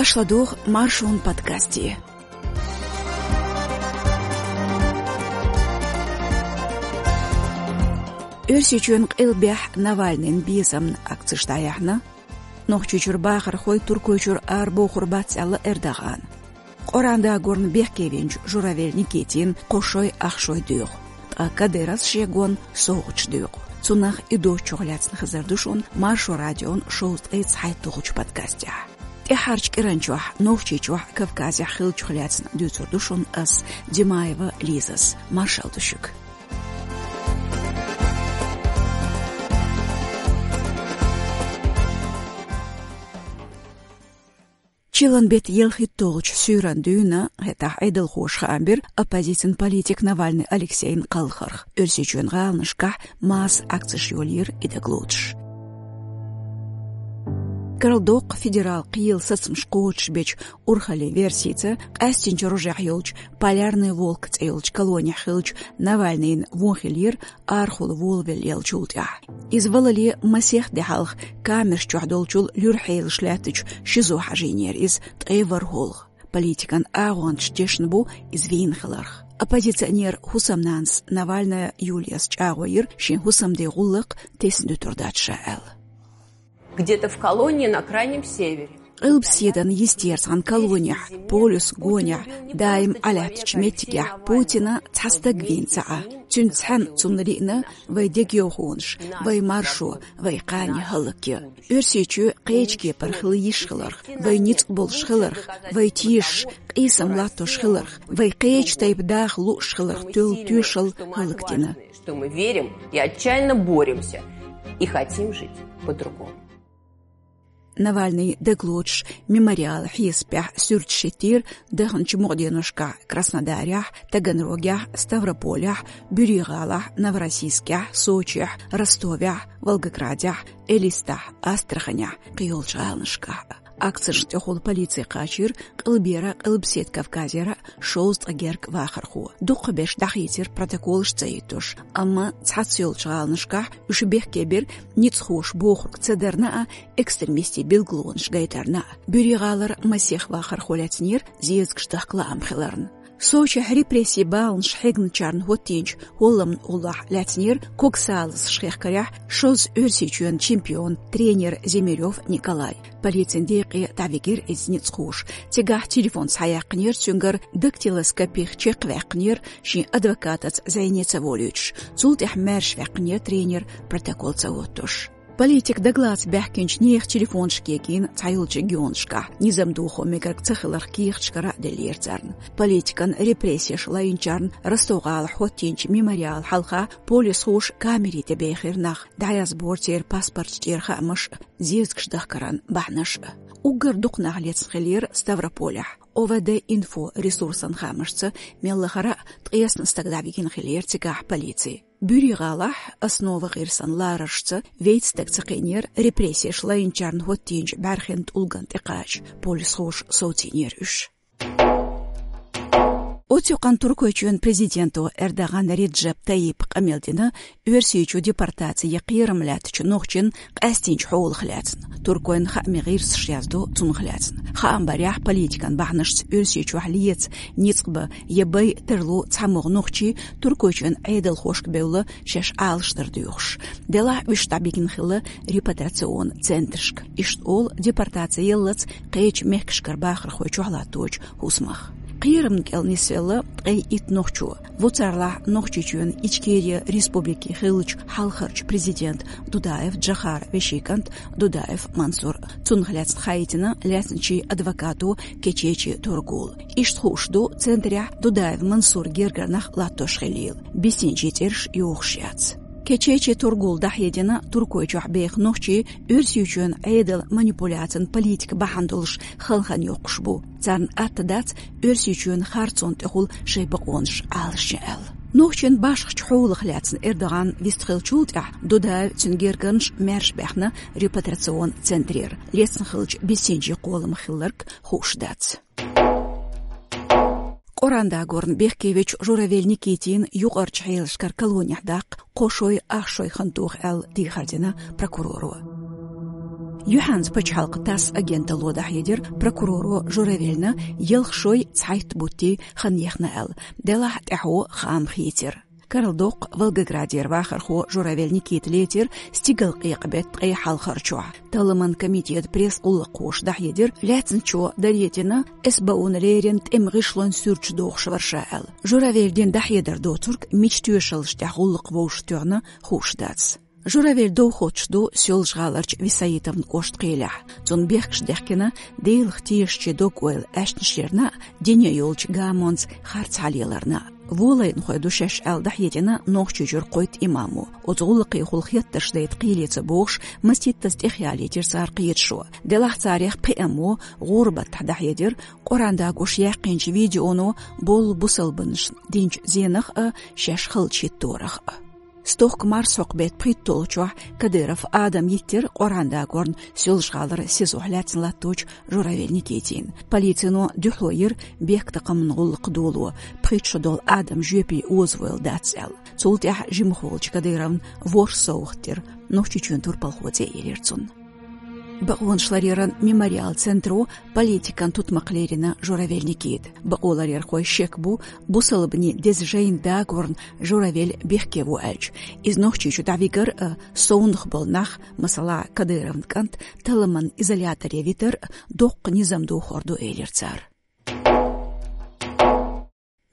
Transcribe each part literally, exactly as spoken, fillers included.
Аша ладугӀу Маршон подкасте. Оьрсийчоьнан къилбехь Навальныйн безамна акцеш дӀаяьхьна. Нохчийчуьра бахархой Туркойчуьра арабохур бац аьлла Эрдогана. Къуръан дагорна бехке веанчу Журавель Никитина кхо шой ах шой доьху, ткъа Кадыровс шен гонна совгӀаташ доькъу. Цунах а, и доцчух а лаьцна хезар ду шуна Маршо радион шовзткъе цхьайтталгӀачу подкастехь. ТӀаьхьарчу кӀиранчохь Нохчийчохь, Кавказехь хиллачух лаьцна дуьйцур ду шуна ас, Димаева Лизас. Маршалла ду шуьга. Чиллан беттан ялхитталгӀачу суьйранна дуьйна, хӀетахь Ӏедалхоша хаам бира оппозицин политик Навальный Алексейна кхалхарх. Оьрсийчоьнан гӀаланашкахь масса акцеш йолийра и дагалоцуш. Карладоккху федерал кхелан сацамаш кхочушбечу урхаллин версица, къаьстинчу рожехь йолчу Полярный волк цӀе йолчу колонехь хиллачу Навальныйна вон хиллера арахула волавелла еллачул тӀаьхьа. Иза валале масех де хьалха камераш чохь долчул луьра хьелаш лаьттачу ШИЗО хьажийнера иза ткъе ворхӀалгӀа. Политикан агӀончаша дешна бу иза вийна хиларх. Оппозиционер хӀусамнанас Навальная Юлияс чӀагӀо йира шен хӀусамден гӀуллакх тесна дуьтур дац ша аьлла. Где-то в колонии на Крайнем Севере. Къилбаседан йистера цхьана колонехь, полюс гонехь, даим Ӏалаьттачу меттигехь Путина цхьа стаг вийна ца Ӏа. Цуьнца цхьаьна цунна лиъна вай дегайовхонаш, вай маршо, вай кхане хӀаллакъян. Оьрсийчоь кхечу кепара хила йиш хиларх, вай ницкъ болуш хиларх, вай тешаш, къийсам латтош хиларх, вай кхечу тайпа даха лууш хиларх тоьлла тоьшалла хӀаллакдина. Что мы верим и отчаянно боремся, и хотим жить по-другому. Навальный дагалоцуш мемориалан хьесапехь суьрташ хӀиттийра даханчу мукъаденошкахь Краснодарехь, Таганрогехь, Ставрополехь, Буьрий-ГӀалахь, Новороссийскехь, Сочехь, Ростовехь, Волгоградехь, Элистехь, Астраханехь, кхийолчу гӀаланашкахь. Акцешна тӀехула полици кхачийра Къилбера, Къилбаседа Кавказера шовзткъа гергга вахархо. Дукхахберш дӀахийцира протоколаш ца хӀиттош, амма цхьацца йолчу гӀаланашкахь уьш бехке бира ницкъахоша бохург ца дарна а, экстремистийн билгалонаш гайтарна а. Буьрий-ГӀалара масех вахархо лаьцнера зезагаш дахка лаам хиларна. Сочехь репрессийн баланаш хьегначарна хӀоттийначу хӀолламна уллохь лаьцнера когсалазаш хехкарехь шозза Оьрсийчоьнан чемпион, тренер Зимирёв Николай. Полицин декъе дӀавигира иза ницкъахоша. Цигахь телефон схьаяьккхинера цуьнгара, дактилоскопих чекхваьккхинера, шен адвокатаца зӀене ца волуьйтуш. Цул тӀаьхьа маьрша ваьккхинера тренер, протокол ца хӀоттош. Политик дагалаца баьхкинчу нехан телефонаш кегийна цхьайолчу регионашкахь. Низам дохо мегарг ца хиларх кехаташкара а деллера царна. Политикан репрессеш лайначарна Ростов-ГӀалахь хӀоттийначу мемориала хьалха полисхоша камери тӀе бехира нах, дӀаязбора церан паспорташ тӀера хаамаш а, зезагаш дахкаран бахьанаш а. Уггар дукха нах лецна хиллера Ставрополехь. О В Д Инфо ресурсан хаамашца, мел лахара а ткъеснан стаг дӀавигина хиллера цигахь полици. Буьрий-ГӀалахь Основа гӀирсан лараршца вейтта стаг ца кхиънера репрессеш лайначарна хӀоттийначу бӀаьрхин тӀулган тӀекхача, полисхоша совцийнера уьш. Оццу юкъанна Туркойчоьнан президенто Эрдоган Реджеп Тайипа къамел дина Оьрсийчу депортаци ян кхерам лаьттачу нохчийн къаьстинчу хьолах лаьцна. Туркойн хаамийн гӀирсаш яздо цунах лаьцна. Хаам барехь, политикан бахьанашца Оьрсийчохь леца, ницкъ бан я бай тарло цхьамогӀа нохчий Туркойчоьнан Ӏедалхошка бевлла шаьш Ӏалашдар доьхуш. Делахь уьш дӀабигна хилла репатриационни центрашка. Иштта олу депортаци яллалц кхечу мехкашкара бахархой чохь латточу хӀусамах. Кхерамна кӀел нисвелла ткъе итт нохчо. Ву царлахь Нохчийчоьнан Ичкерия Республикин хиллачу хьалхарчу президент Дудаев Джохара вешин кӀант Дудаев Мансур. Цунах лаьцна хаийтина лаьцначийн адвокато Кечечи Тургул. Иштта хууш ду центрехь Дудаев Мансур гергара нах латтош хилийла. Бисинчийн цӀераш йохуш яц. Кечечи Тургул дӀахьедина Туркойчохь беха нохчий Оьрсийчоьнан Ӏедалан манипуляцин политика бахьана долуш халхана йоккхуш бу. Царна атта дац Оьрсийчоьнан харцонна тӀехула шайн бакъонаш Ӏалашъян аьлла. Нохчийн башхачу хьолах лаьцна Эрдоган вистхиллачул тӀаьхьа Дудаев, цуьнан гергарнаш маьрша баьхна репатриационни центрера. Лецна хиллачу бисинчийн кхолламах хилларг хууш дац. Къуръан дагорна бехке вечу Журавель Никитина юкъарчу хьелашкара колонехь даккха кхо шой ах шой хан тоха аьлла дехар дина прокуроро. Юьхьанца пачхьалкхан ТАСС агенталло дӀахьедира прокуроро Журавельна ялх шой цхьайтта бутт хан яхна аьлла, делахь тӀаьхьо хаам хийцира. Карла доккха Волгоградера вахархо Журавель Никита лецира стигалкъекъа бетта ткъе хьалхарчохь. Талламан комитета пресс-гӀуллакххоша дӀахьедира, лаьцначо даре дина СБУ-на леррина тӀеман гӀишлон суьрташ дохуш вара ша аьлла. Журавель дина дӀахьедар доцург мича тоьшаллаш тӀехь гӀуллакх вовшахтоьхна хууш дац. Журавель довхочуш ду Соьлжа-ГӀаларчу Висаитовн кӀоштан кхелехь. Цунна бехкаш дехкина Делах тешачийн дог-ойла аьшнаш ярна а, дине йолчу гамонца харц хьалеларна а. Волайнахой ду шаьш аьлла дӀахьедина Нохчийчуьра кхойтта имамо. Оцу гӀуллакхехула хеттарш дайта кхеле ца богӀуш, масийттаза тӀехъялийтира цара кхеташо. Делахь царех пхеамо гӀуран-баттахь дӀахьедира, Къуръан дагош яьккхинчу видеоно болу бусалбанашна динчу зенах а, шаьш халча хӀитторах а. Стохка марсхьокху беттан пхийтталгӀачохь Кадыров Адам йиттира Къуръан дагорна Соьлжа-ГӀалара СИЗО-хь лаьцна латточу Журавель Никитина. Полицино дуьхьало йира бехктакхаман гӀуллакх доло, пхийтта шо долу Адам жоьпе озавойла дац аьлла. Цул тӀаьхьа жимахволчу Кадыровна ворхӀ совгӀат дира, Нохчийчоьнан турпалхо цӀе елира цунна. Бакъонаш ларъяран «Мемориал» центро политикан тутмакх лерина Журавель Никита. Бакъо ларъярхой шек бу, бусалбанийн деза жайна дагорна Журавель бехке во аьлча. Иза Нохчийчу дӀавигар а, совнах болу нах, масала, Кадыровн кӀант, талламан изоляторе витар а доккха низам дохор ду, элира цара.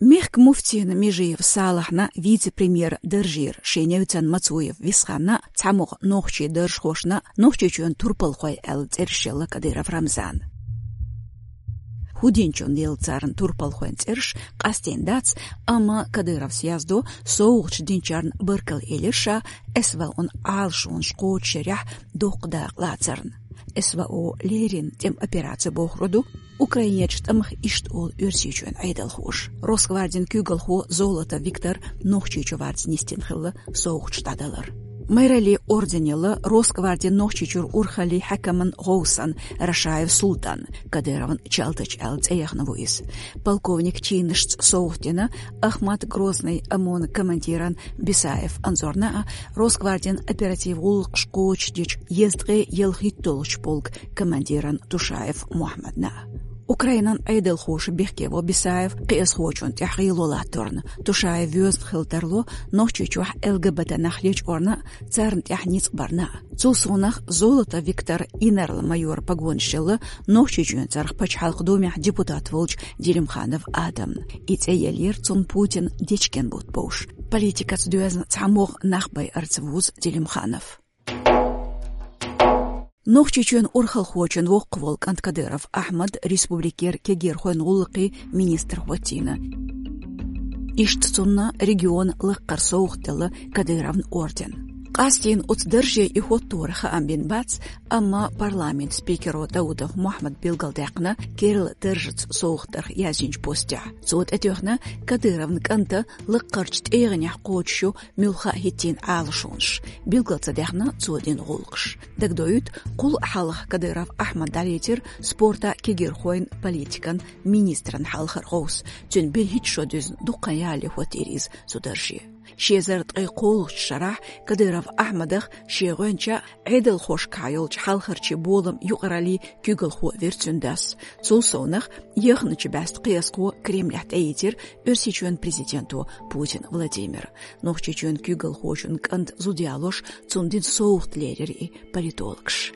Мехкан муфтийна Межиев Салахьна вице-премьеран даржера шен невцан Мацуев Висханна, цхьамогӀа нохчийн даржхошна Нохчийчоьнан турпалхой аьлла цӀераш елла Кадыров Рамзанна. ХӀун динчунна елла царна турпалхойн цӀераш къастийна дац, амма Кадыровс яздо, совгӀаташ динчарна баркалла элира ша, СВО-н Ӏалашонаш кхочушъярехь доккха дакъа лацарна. СВО леррина тӀеман операци бохур ду. Украинерчу тӀамах иштта олу Оьрсийчоьнан Ӏедалхоша. Росгвардин куьйгалхо Золотов Виктор Нохчийчу варца нисдина хилла совгӀаташ дӀадалар. Майраллин орден елла Росгвардин Нохчийчуьра урхаллин хьаькаман гӀовсан Рашаев Султан, Кадыровн чалтача аьлла цӀе яхна ву иза. Полковник чинашца совгӀат дина Ахмат-Грозныйн ОМОН-ан командиран Бисаев Анзорна а, Росгвардин оператив гӀуллакхаш кхочушдечу езткъе ялхитталгӀачу полкан командиран Тушаев Мухьаммадна а. Украинан Ӏедалхоша бехке во Бисаев кхиазхочунна тӀехь гӀело латторна. Тушаев воьзна хила тарло Нохчийчохь ЛГБТ нах лечкъорна а, царна тӀехь ницкъ барна а. Цул совнаха Золотов Виктор инарла-майоран погонаш елла Нохчийчоьнан цӀарах Пачхьалкхан Думехь депутат волчу Делимханов Адамна. И цӀе еллера цунна Путинан дечкен бутт бовш. Политикаца доьзна цхьамогӀа нах байарца вузу Делимханов. Нохчийчоьнан урхалхочун воккхаволу кӀант Кадыров Ахьмад республикера кегийрхойн гӀуллакхийн министр хӀоттийна. Иштта цунна регионан лакхара совгӀат делла Кадыровн орден. Къастийна оцу дарже и хӀотторан хаам бина бац, амма парламентан спикеро Даудов Мухьаммада билгалдаьккхина керла даржаца совгӀат дарх яздинчу постехь. Цо тӀетоьхна Кадыровн кӀанта лакхарчу тӀегӀанехь кхочуш ю муьлхха а хӀиттийна Ӏалашонаш, билгал ца даьхна цо дина гӀуллакхаш. Дагадоуьйту, кхул а хьалха Кадыров Ахьмад дӀалецира спортан, кегийрхойн политикан министран хьалхара гӀовс. Цуьнан берхӀитта шо дуьзна дуккха ялале хӀоттийра иза цу дарже. Ши эзар ткъе кхоалгӀачу шарахь Кадыров Ахьмадах шен гӀоьнча Ӏедалхошкахь йолчу хьалхарчийн боламан юкъараллин куьйгалхо вира цуьнан дас. Цул совнаха, яхначу бӀаьста кхиазхо Кремлехь тӀеийцира Оьрсийчоьнан президенто Путин Владимира. Нохчийчоьнан куьйгалхочун кӀанта зуда ялош цунна дина совгӀат лерира и политологаша.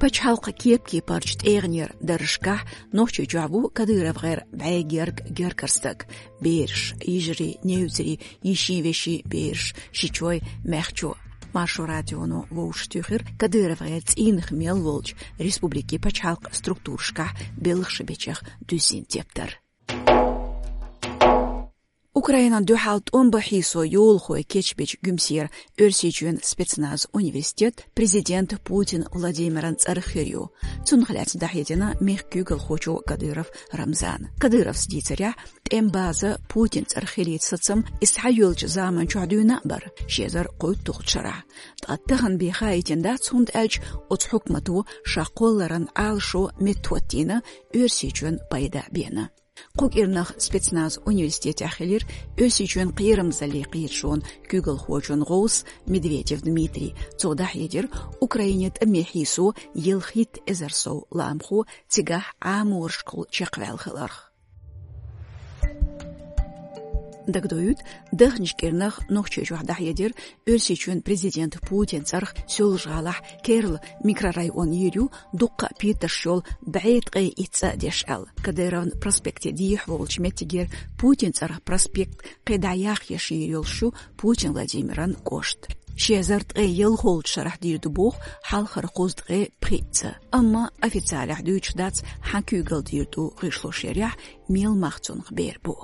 Пачхьалкхан кеп-кепарчу тӀегӀанера даржашкахь Нохчийчохь ву КадыровгӀеран бӀе герга гергара стаг. Бераш, йижарий, невцарий, йишин-вешин бераш, шичой, маьхчо. Маршо радионо вовшахтуьйхира КадыровгӀеран цӀийнах мел волчу республикин пачхьалкхан структурашкахь белхаш бечех дуьззина тептар. Украинан дуьхьал тӀом бан хьийсо йолахой кечбечу Гуьмсера Оьрсийчоьнан спецназан университет президента Путин Владимиран цӀарах хир ю. Цунах лаьцна дӀахьедина мехкан куьйгалхочо Кадыров Рамзана. Кадыровс дийцарехь, тӀеман база Путинан цӀарах хилийта сацам и схьайоьллучу заман чохь дуьйна а бара, ши эзар кхойтталгӀачу шарахь. Ткъа тахана бен хаийтина дац, хӀунда аьлча оцу хьукмато ша кхолларан Ӏалашо меттахӀоттийна Оьрсийчоьнан пайда бена. Кху кӀирнах спецназ университетехь хилира Оьрсийчоьнан кхерамзалле кхеташонан куьйгалхочун гӀовс Медведев Дмитрий. Цо дӀахьедира, Украинера тӀаме хьийсо ялхитта эзар сов лаамхо цигахь Ӏаморашкахула чекхваьлла хиларх. Дагадоуьйту, дахначу кӀирнах Нохчийчохь дӀахьедира, Оьрсийчоьнан президента Путина цӀарах Соьлжа-ГӀалахь керла микрорайон йийр ю дуккха а петарш йолу бӀе ткъе итт цӀа деш аьлла. Кадыровн проспекте дехьа волчу меттигера Путина цӀарах проспект кхин дӀа яхъеш йийр йолуш ю Путин Владимиран кӀошт. Ши эзар ткъе ялхолгӀачу шарахь дийр ду боху хьалхара кхузткъе пхиъ цӀа. Амма официалехь дуьйцуш дац, хьан куьйгалла дийр ду гӀишлошъярехь, мел мах цунах бер бу.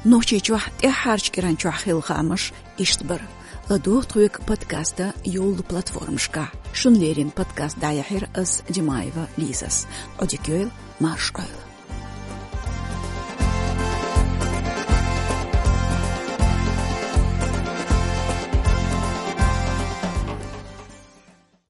Нохчийчохь тӀаьххьарчу кӀиран чохь хилла хаамаш иштта бара. ЛадогӀа тхоьга подкастан йолу платформашкахь. Шуна леррина подкаст дӀаяьхьира ас, Димаева Лизас. Ӏодика йойла, марша Ӏойла.